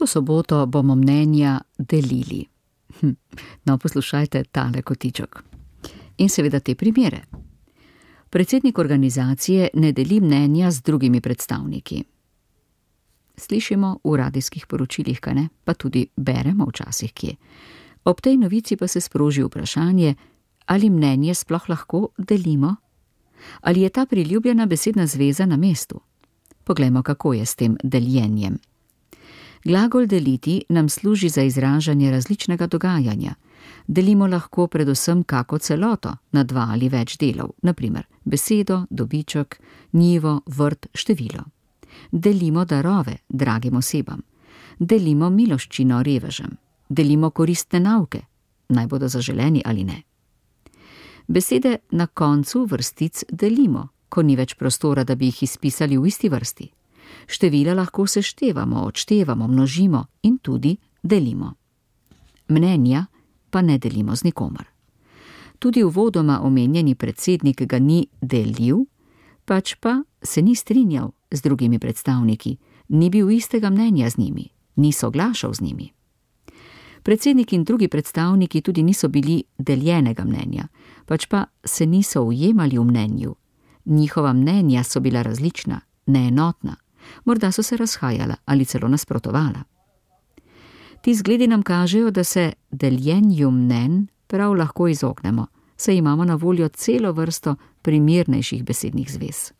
To soboto bomo mnenja delili. No, poslušajte tale kotiček. In seveda te primere. Predsednik organizacije ne deli mnenja z drugimi predstavniki. Slišimo v radijskih poročilih, kaj ne, pa tudi beremo včasih kje. Ob tej novici pa se sproži vprašanje, ali mnenje sploh lahko delimo? Ali je ta priljubljena besedna zveza na mestu? Poglejmo, kako je s tem deljenjem. Glagol deliti nam služi za izražanje različnega dogajanja. Delimo lahko predvsem kako celoto na 2 ali več delov, na primer besedo, dobiček, njivo, vrt, število. Delimo darove dragim osebam. Delimo miloščino revežem. Delimo koristne nauke, naj bodo zaželeni ali ne. Besede na koncu vrstic delimo, ko ni več prostora, da bi jih izpisali v isti vrsti. Števila lahko seštevamo, odštevamo, množimo in tudi delimo. Mnenja pa ne delimo z nikomer. Tudi uvodoma omenjeni predsednik ga ni delil, pač pa se ni strinjal z drugimi predstavniki, ni bil istega mnenja z njimi, ni soglašal z njimi. Predsednik in drugi predstavniki tudi niso bili deljenega mnenja, pač pa se niso ujemali v mnenju. Njihova mnenja so bila različna, neenotna, morda so se razhajala ali celo nasprotovala. Ti zgledi nam kažejo, da se deljenju mnenj prav lahko izognemo, saj imamo na voljo celo vrsto primernejših besednih zvez.